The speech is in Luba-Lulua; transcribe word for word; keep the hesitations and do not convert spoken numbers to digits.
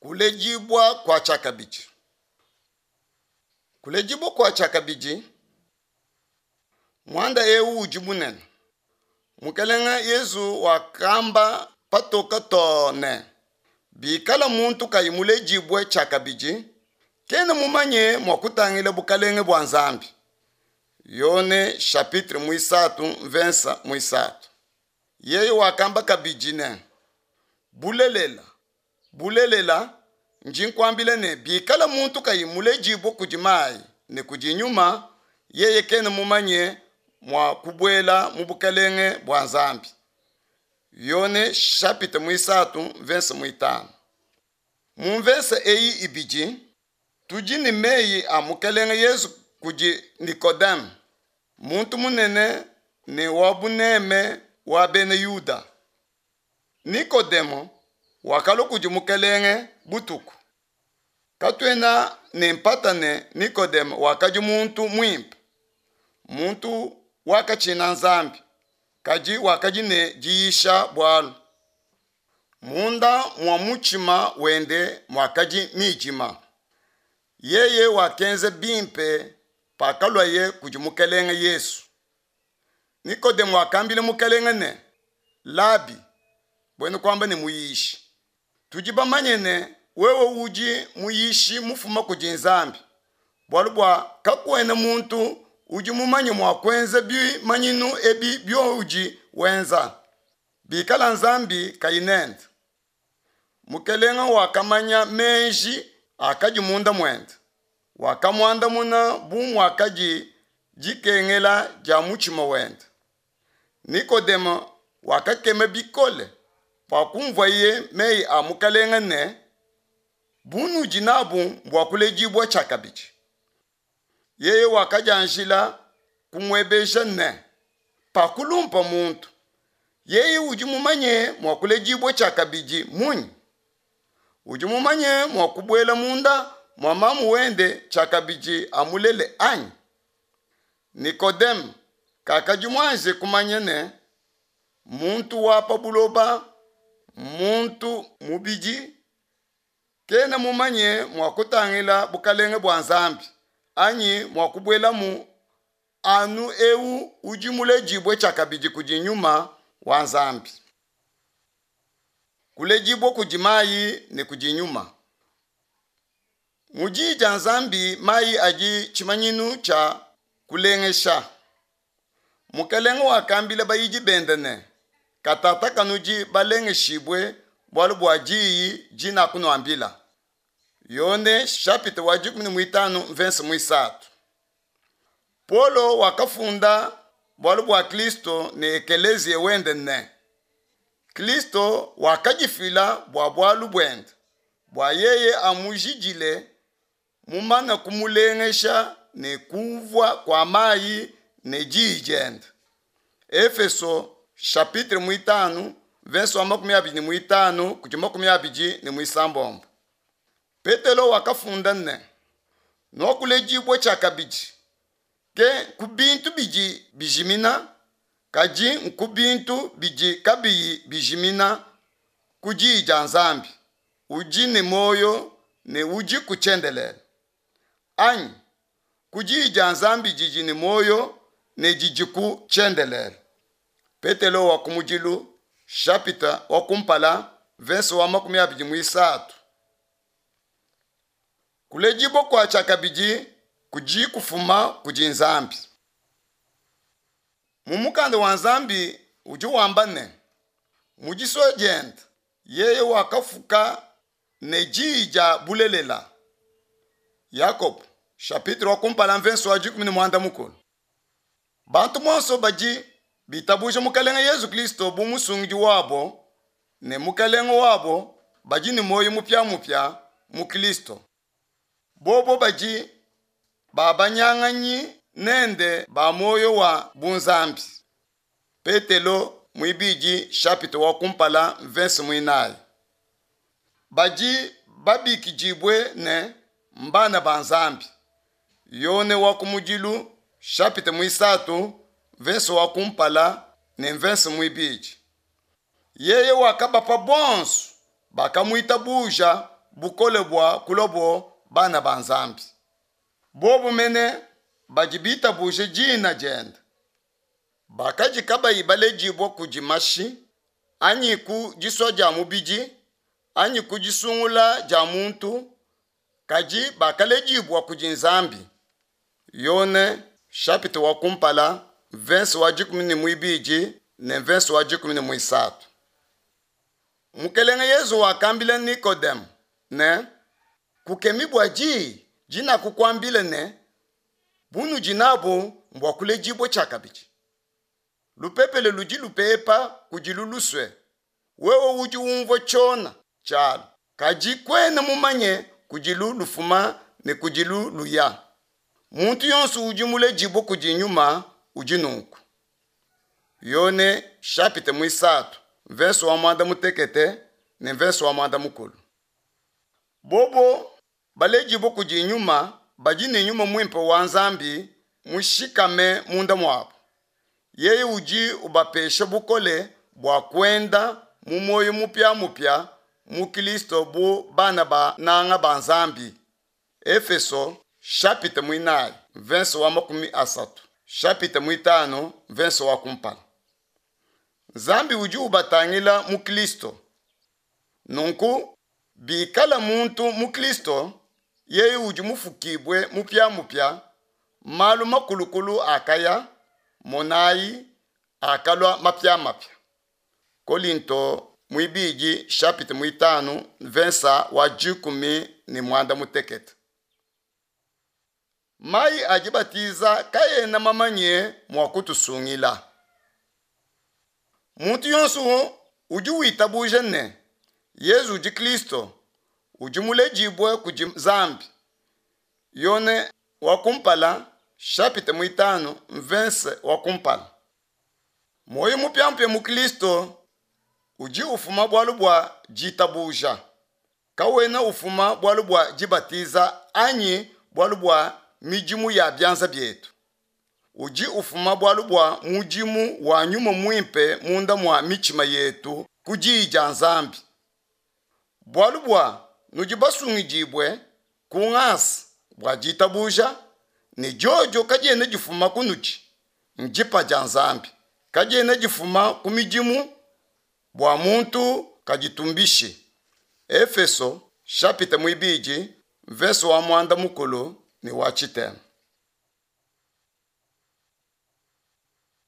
Kuledibua kua tshiakabidi. Kuledibua kua tshiakabidi, muanda eu udi munene. Mukelenge Yezu wakamba patoke too ne, bikala muntu kayi muledibue tshiakabidi, kena mumanye mua kutangila bukalenge bua Nzambi. Yone chapitre muisatu mvensa muisatu. Yeye wakamba kabidi ne, bulelela, bulelela, ndi nkuambila ne, bikala muntu kayi muledibue kudi mayi ne kudi nyuma, yeye kena mumanye mua kubuela mu bukalenge bua Nzambi. Yone chapitre muisatu mvensa muitanu. Mu mvensa eyi ibidi, tudi ne meyi a Mukelenge Yezu kudi Nikodeme, muntu munene ne wa buneme wa bena Yuda. Nikodemo wakalua kudi Mukelenge butuku. Katuena ne mpata ne Nikodemo wakadi muntu muimpe, muntu wakatshina Nzambi, kadi wakadi ne diyisha bualu. Munda mua mutshima wende muakadi midima. Yeye wakenza bimpe pakaluaye kudi Mukelenge Yesu. Nikodemo wakambila Mukelenge ne, Labi, buena kuamba ne muyishi, tudi bamanye ne wewe udi muyishi mufuma kudi Nzambi, bualu bua kakuena muntu udi mumanye mua kuenza bimanyinu ebi bioudi wenza, bikala Nzambi kayi nende. Mukelenge wakamanya meji akadi munda muende, wakamuandamuna bu muakadi dikengela dia mutshima wende. Nikodemo wakakema bikole pakumvuaye meyi a Mukelenge ne, bunudi nabu mbua kuledibua tshiakabidi. Yeye wakadianjila kumuebeja ne, pakulumpa muntu, yeye udi mumanye mua kuledibua tshiakabidi munyi? Udi mumanye mua kubuela munda mua mamu wende tshiakabidi amulele anyi? Nikodeme kakadi muanze kumanya ne, muntu wa pa buloba, muntu mubidi, kena mumanye mua kutangila bukalenge bua Nzambi anyi mua kubuelamu anu eu udi muledibue tshiakabidi kudi nyuma wa Nzambi. Kuledibua kudi mayi ne kudi nyuma. Mu diyi dia Nzambi mayi adi tshimanyinu tshia kulengesha. Mukelenge wakambila bayidi bende ne, katata kanudi balengeshibue bualu bua diyi dinakunuambila. Yone chapitre wa dikumi ne muitanu mvense muisatu. Paulo wakafunda bualu bua Kristo ne ekeleziya wende ne, Kristo wakadifila bua bualu buende, bua yeye amujidile mumane kumulengesha ne kuvua kua mayi ne diyi diende. Efeso chapitre muitanu verse wa makumi abidi ne muitanu kudi makumi abidi ne muisambombo. Petelo wakafunda ne, nuakuledibua tshiakabidi ke ku bintu bidi bijimina, kadi nku bintu bidi kabiyi bijimina ku diyi dia Nzambi udi ne muoyo ne udi ku tshiendelele. Anyi ku diyi dia Nzambi didi ne muoyo ne didi ku tshiendelele. Petelo wa kumudilu chapitre wa kumpala verse wa makumi abidi muisatu. Kuledibua kua tshiakabidi kudi kufuma kudi Nzambi. Mu mukanda wa Nzambi udi wamba ne, mu disua diende yeye wakafuka ne diyi dia bulelela. Yakobo chapitre wa kumpala mvenso wa dikumi ne muanda mukulu. Bantu bonso badi bitabuja Mukelenge Yezu Kristo bu musungidi wabo ne mukelenge wabo badi ne muoyo mupiamupia mu Kristo. Bobo badi babanyanganyi nende ba muoyo wa bunzambi. Petelo muibidi chapitre wa kumpala mvense muinayi. Badi babikidibue ne mbana ba Nzambi. Yone wa kumudilu chapitre muisatu verse wa kumpala ne mvense muibidi. Yeye wakabapa bonso bakamuitabuja bukole bua kuluabo bana ba Nzambi, bobo mene badi bitabuje dina diende. Bakadi kabayi baledibua kudi mashi, anyi ku disua dia mubidi, anyi ku disungula dia muntu, kadi bakaledibua kudi Nzambi. Yone chapitre wa kumpala verse wa dikumi ne muibidi ne verse wa dikumi ne muisatu. Mukelenge Yezu wakambila Nikodemu ne, kukemi bua diyi dinakukuambila ne, bunudi nabo mbua kuledibua tshiakabidi. Lupepele ludi lupepa kudilu lusue, wewe udi umvua tshiona tshialu, kadi kuena mumanye kudilu lufuma ne kudilu luya. Muntu yonso udi muledibue kudi nyuma udi nunku. Yone chapitre muisatu verse wa muanda mutekete ne verse wa muanda mukulu. Bobo baledibue kudi nyuma badi ne nyuma muimpe wa Nzambi mushikame munda muabo. Yeye udi ubapesha bukole bua kuenda mu muoyo mupia-mupia mu Kristo bu bana bananga ba Nzambi. Efeso chapitre muinayi verse wa makumi asatu chapitre muitanu verse wa kumpala. Nzambi udi ubatangila mu Kristo. Nunku bikala muntu mu Kristo, yeye udi mufukibue mupia-mupia, malu makulukulu akaya, monayi akalua mapia-mapia. Kolinto muibidi chapitre muitanu verse wa dikumi ne muanda mutekete. Mayi a dibatiza kaena mamanye mua kutusungila. Muntu yonso udi witabuja ne Yezu udi Kristo, udi muledibue kudi Nzambi. Yone wa kumpala chapitre muitanu verse wa kumpala. Muoyo mupiamupia mu Kristo udi ufuma bualu bua ditabuja, kawena ufuma bualu bua dibatiza anyi bualu bua midimu ya bianza bietu. Udi ufuma bualu bua mudimu wa nyuma muimpe munda mua mitshima yetu ku diyi dia Nzambi. Bualu bua nudi basungidibue ku ngasa bua ditabuja, ne diodio kadiena difuma kunudi, ndipa dia Nzambi, kadiena difuma ku midimu bua muntu kaditumbishi. Efeso chapitre muibidi verse wa muanda mukulu ne wa tshitema.